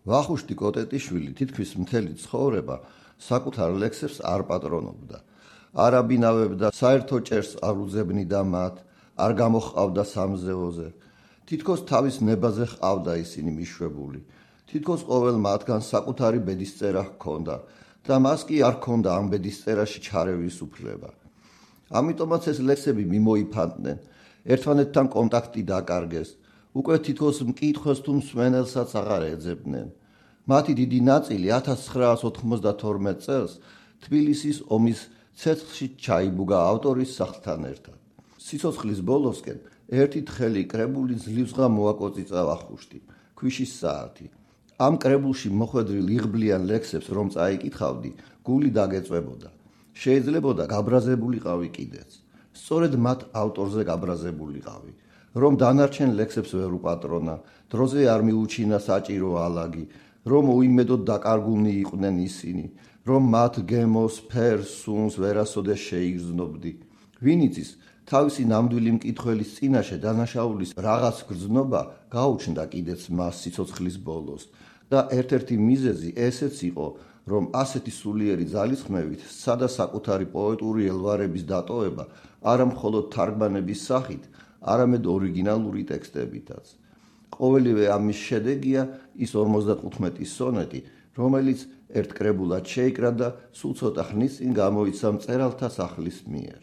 ვახუშტი კოტეტიშვილი თითქმის მთელი ცხოვრება საკუთარ ლექსებს არ პატრონობდა. არ აბინავებდა საერთო ჭერს არ უძებნიდა მათ, არ გამოჰყავდა სამზეოზე. თითქოს თავის ნებაზე ჰყავდა ისინი მიშვებული. თითქოს ყოველ მათგან საკუთარი ბედისწერა ჰქონდა და მას კი არ ჰქონდა ამ ბედისწერაში ჩარევის უფლება. ამიტომაც ეს ლექსები მიმოიფანტნენ, ერთმანეთთან კონტაქტი დაკარგეს, უკვე თითქოს მკითხველს თუ მსმენელსაც აღარ ეძებდნენ. მათი დიდი ნაწილი 1992 წელს თბილისის ომის ცეცხლში ჩაიბუგა ავტორის სახლთან ერთად. სიცოცხლის ბოლოსკენ ერთი თხელი კრებული ძლივსღა მოაკოწიწა ვახუშტი, ქვიშის საათი. ამ კრებულში მოხვედრილ იღბლიან ლექსებს რომ წაიკითხავდი, გული დაგეწვებოდა. შეიძლებოდა გაბრაზებულიყავი კიდეც. სწორედ მათ ავტორზე გაბრაზებულიყავი, რომ დანარჩენ ლექსებს ვერ უპატრონა, დროზე არ მიუჩინა საჭირო ალაგი, რომ უიმედოდ დაკარგულნი იყვნენ ისინი, რომ მათ გემოს, ფერს, სუნს ვერასოდეს შეიგრძნობდი. ვინ იცის, თავისი ნამდვილი მკითხველის წინაშე დანაშაულის რაღაც გრძნობა გაუჩნდა კიდეც მას სიცოცხლის ბოლოს და ერთ-ერთი მიზეზი ესეც იყო, რომ ასეთი სულიერი ძალისხმევით სცადა საკუთარი პოეტური ელვარების დატოვება არა მხოლოდ თარგმანების სახით, არამედ ორიგინალური ტექსტებითაც. ყოველივე ამის შედეგია ის 55 სონეტი, რომელიც ერთ კრებულად შეიკრა და სულ ცოტა ხნის წინ გამოიცა მწერალთა სახლის მიერ.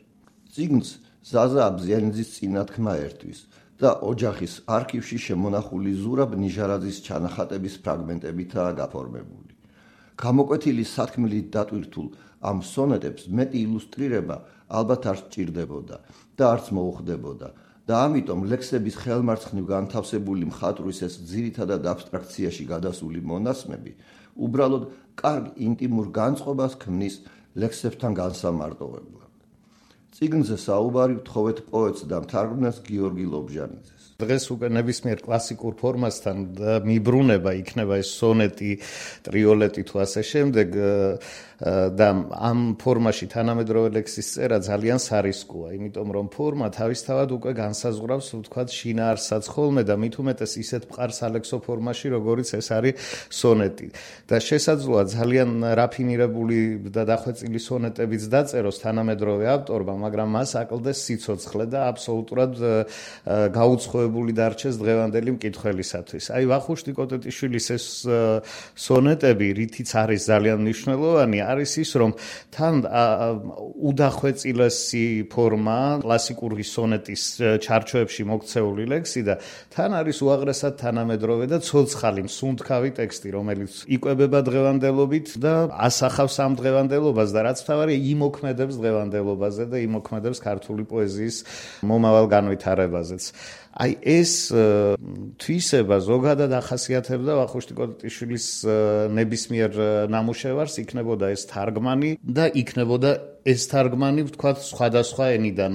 წიგნს ზაზა აბზიანიძის წინათქმა ერთვის და ოჯახის არქივში შემონახული ზურაბ ნიჟარაძის ჩანახატების ფრაგმენტებითაა გაფორმებული. გამოკვეთილი სათქმელით დატვირთულ ამ სონეტებს მეტი ილუსტრირება ალბათ არ სჭირდებოდა და არც მოუხდებოდა და ამიტომ ლექსების ხელმარცხნივ განთავსებული მხატვრის ეს ძირითადად აბსტრაქციაში გადასული მონასმები უბრალოდ კარგ ინტიმურ განწყობას ქმნის ლექსებთან განსამარტოვებლად. წიგნზე საუბარი ვთხოვეთ პოეტს და მთარგმნელს გიორგი ლობჟანიძეს. დღეს უკვე ნებისმიერ კლასიკურ ფორმასთან მიბრუნება იქნება ეს სონეტი, ტრიოლეტი თუ ასე შემდეგ და ამ ფორმაში თანამედროვე ლექსის წერა ძალიან სარისკოა, იმიტომ რომ ფორმა თავისთავად უკვე განსაზღვრავს, ვთქვათ, შინაარსსაც ხოლმე და მით უმეტეს ისეთ მყარ სალექსო ფორმაში, როგორიც ეს არის სონეტი. და შესაძლოა ძალიან რაფინირებული და დახვეწილი სონეტებიც დაწეროს თანამედროვე ავტორმა, მაგრამ მას აკლდეს სიცოცხლე და აბსოლუტურად გაუცხოებული დარჩეს დღევანდელი მკითხველისათვის. აი ვახუშტი კოტეტიშვილის ეს სონეტები, რითიც არის ძალიან მნიშვნელოვანი, არის ის, რომ თან უდახვეწილესი ფორმა კლასიკური სონეტის ჩარჩოებში მოქცეული ლექსი და თან არის უაღრესად თანამედროვე და ცოცხალი მსუნთქავი ტექსტი, რომელიც იკვებება დღევანდელობით და ასახავს ამ დღევანდელობას და რაც მთავარია, იმოქმედებს დღევანდელობაზე და იმოქმედებს ქართული პოეზიის მომავალ განვითარებაზეც. აი ეს თვისება ზოგადად ახასიათებდა ვახუშტი კოტეტიშვილის ნებისმიერ ნამუშევარს, იქნებოდა ეს თარგმანი და იქნებოდა ეს თარგმანი, ვთქვათ, სხვადასხვა ენიდან,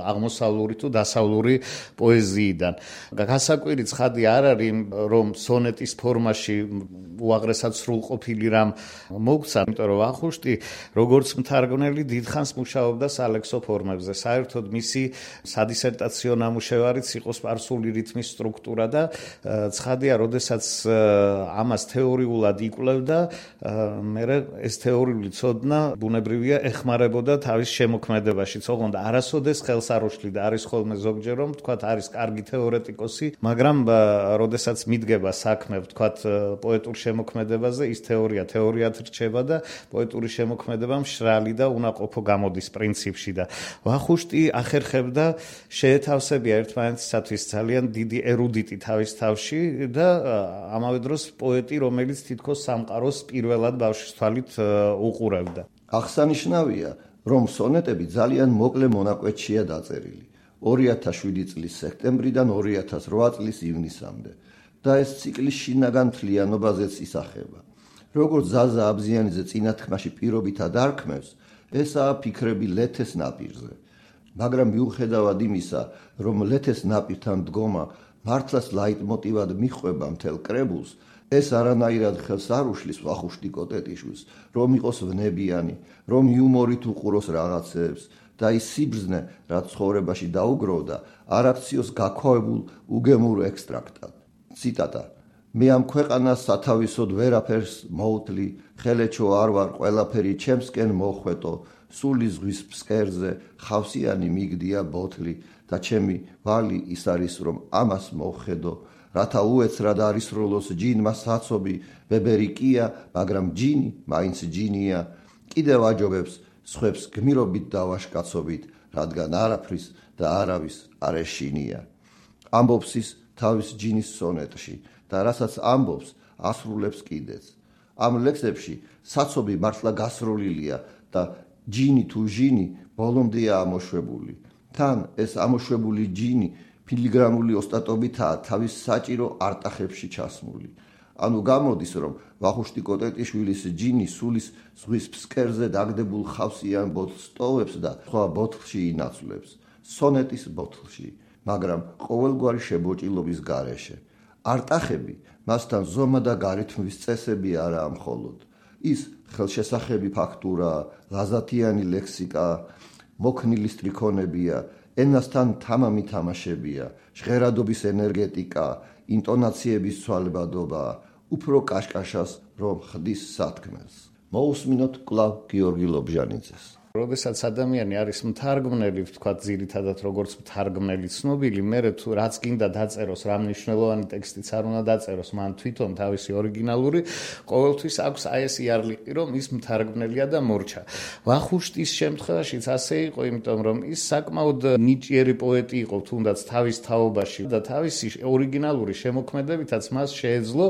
აღმოსავლური თუ დასავლური პოეზიიდან. გასაკვირი ცხადი არ არის, რომ სონეტის ფორმაში უაღრესად სრულყოფილი რამ მოგცა, იმიტომ რომ ვახუშტი, როგორც მთარგმნელი, დიდხანს მუშაობდა სალექსო ფორმებზე. საერთოდ მისი სადისერტაციო ნამუშევარიც იყო სპარსული რითმის სტრუქტურა და ცხადია, როდესაც ამას თეორიულად იკვლევდა, მერე ეს თეორიული ცოდნა ბუნებრივია ეხმარებოდა თავის შემოქმედებაშიც. ოღონდ არასოდეს ხელს არ უშლიდა, არის ხოლმე ზოგჯერ რომ ვთქვათ, არის კარგი თეორეტიკოსი, მაგრამ როდესაც მიდგება საქმე, ვთქვათ, პოეტურ შემოქმედებაზე, ის თეორიად რჩება და პოეტური შემოქმედება მშრალი და უნაყოფო გამოდის პრინციპში და ვახუშტი ახერხებდა შეეთავსებია ერთმანეთისათვის ძალიან დიდი ერუდიტი თავის თავში და ამავე დროს პოეტი, რომელიც თითქოს სამყაროს პირველად ბავშვის თვალით უყურებდა. აღსანიშნავია, რომ სონეტები ძალიან მოკლე მონაკვეთშია დაწერილი, 2007 წლის სექტემბრიდან 2008 წლის ივნისამდე და ეს ციკლი შინაგან მთლიანობაზეც ისახება. როგორც ზაზა აბზიანიძე წინათქმაში პირობითად არქმევს, ესაა ფიქრები ლეთეს ნაპირზე. მაგრამ მიუხედავად იმისა, რომ ლეთეს ნაპირთან დგომა მართლაც ლაიტმოტივად მიჰყვება მთელ კრებულს, ეს არანაირად ხელს არ უშლის ვახუშტი კოტეტიშვილს, რომ იყოს ვნებიანი, რომ იუმორით უყუროს რაღაცეებს და ის სიბრძნე, რაც ცხოვრებაში დაუგროვდა, არ აქციოს გაქვავებულ უგემურ ექსტრაქტად. ციტატა: მე ამ ქვეყანას სათავისოდ ვერაფერს მოუთლი, ხელეჩო არ ვარ ყველაფერი ჩემსკენ მოხვეტო, სული ზღვის ფსკერზე ხავსიანი მიგდია ბოთლი და ჩემი ვალი ის არის რომ ამას მოხედო, რათა უეცრად არისროლოს ჯინმა საცობი, ვებერი კია, მაგრამ ჯინი მაინც ჯინია, კიდევ აჯობებს სხვებს გმირობით დავაშკაცობით, რადგან არაფრის და არავის არ ეშინია. ამბობს ის თავის ჯინის სონეტში და რასაც ამბობს ასრულებს კიდეც. ამ ლექსებში საცობი მართლა გასროლილია და ჯინი თუ ჟინი ბოლომდეა ამოშვებული. თან ეს ამოშვებული ჯინი ფილიგრამული ოსტატობითაა თავის საჭირო არტახებში ჩასმული. ანუ გამოდის რომ ვახუშტი კოტეტიშვილის ჯინი სულის ზღვის ფსკერზე დაგდებულ ხავსიან ბოთლს ტოვებს და სხვა ბოთლში ინაცვლებს, სონეტის ბოთლში, მაგრამ ყოველგვარი შებოჭილობის გარეშე. არტახები მასთან ზომა და გარითმვის წესები არაა მხოლოდ. ის ხელშესახები ფაქტურა, ლაზათიანი ლექსიკა, მოქნილი სტრიქონებია, ენასთან თამამი თამაშებია, ჟღერადობის ენერგეტიკა, ინტონაციების ცვალებადობა, უფრო კაშკაშას რომ ხდის სათქმელს. მოусმინოთ კვლავ გიორგი ლობჟანიძეს. როდესაც ადამიანი არის მთარგმნელი, ვთქვათ, ძირითადად როგორც მთარგმნელი ცნობილი, მერე თუ რაც გინდა დაწეროს, რა მნიშვნელოვანი ტექსტიც არ უნდა დაწეროს, მან თვითონ თავისი ორიგინალური, ყოველთვის აქვს აი ეს იარლიყი, რომ ის მთარგმნელია და მორჩა. ვახუშტის შემთხვევაშიც ასე იყო, იმიტომ რომ ის საკმაოდ ნიჭიერი პოეტი იყო, თუნდაც თავის თაობაში და თავისი ორიგინალური შემოქმედებითაც მას შეეძლო,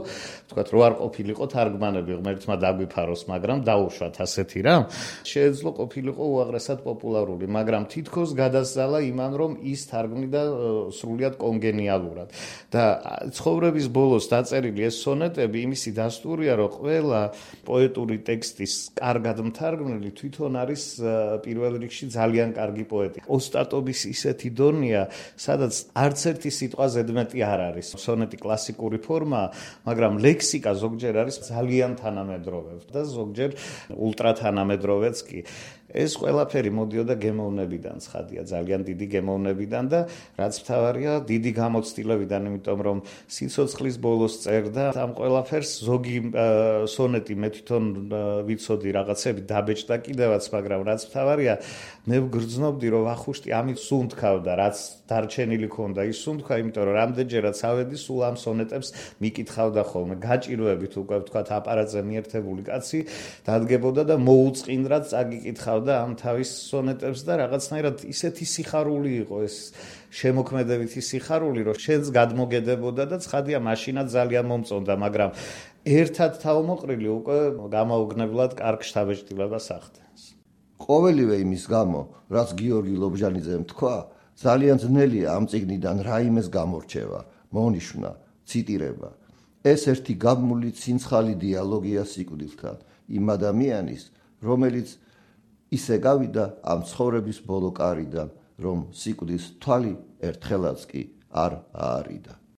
ვთქვათ, რო არ ყოფილიყო თარგმანები, ღმერთმა დაგვიფაროს, მაგრამ დაუშვათ ასეთი რა. შეეძლო ყოფილი იყო უაღრესად პოპულარული, მაგრამ თითქოს გადასძალა იმან, რომ ის თარგმნიდა სრულიად კონგენიალურად. და ცხოვრების ბოლოს დაწერილი ეს სონეტები იმისი დასტურია, რომ ყველა პოეტური ტექსტის კარგად მთარგმნელი თვითონ არის პირველ რიგში ძალიან კარგი პოეტი. ოსტატობის ისეთი დონეა, სადაც არც ერთი სიტყვა ზედმეტი არ არის. სონეტი კლასიკური ფორმაა, მაგრამ ლექსიკა ზოგჯერ არის ძალიან თანამედროვე და ზოგჯერ ულტრათანამედროვეც კი. ეს ყველაფერი მოდიოდა გემოვნებიდან, ცხადია, ძალიან დიდი გემოვნებიდან და რაც მთავარია, დიდი გამოცდილებიდან, იმიტომ რომ სიცოცხლის ბოლოს წერდა ამ ყველაფერს. ზოგი სონეტი მე თვითონ ვიცოდი რაღაცები დაბეჭდა კიდევაც, მაგრამ რაც მთავარია, მე ვგრძნობდი, რომ ვახუშტი ამით სუნთქავდა, რაც დარჩენილი ქონდა, ის სუნთქვა, იმიტომ რომ რამდენჯერაც ავედი, სულ ამ სონეტებს მიკითხავდა ხოლმე. გაჭირვებით უკვე ვთქვათ, აპარატზე მიერთებული კაცი დადგებოდა და მოუწყინდრად წაგიკითხავდა ამ თავის სონეტებს და რაღაცნაირად ისეთი სიხარული იყო ეს შემოქმედებითი სიხარული, რომ შენს გადმოგედებოდა და ცხადია მაშინაც ძალიან მომწონდა, მაგრამ ერთად თავმოყრილი უკვე გამაოგნებლად კარგ შთაბეჭდილებას ახდენს. ყოველივე იმის გამო, რაც გიორგი ლობჟანიძემ თქვა, ძალიან ძნელია ამ წიგნიდან რაიმეს გამორჩევა, მონიშნა, ციტირება. ეს ერთი გაბმული ცინცხალი დიალოგია სიკვდილთან, იმ ადამიანის, რომელიც ისე გავიდა ამ ცხოვრების ბოლო კარიდან, რომ სიკვდილს თვალი ერთხელაც კი არ აარიდა.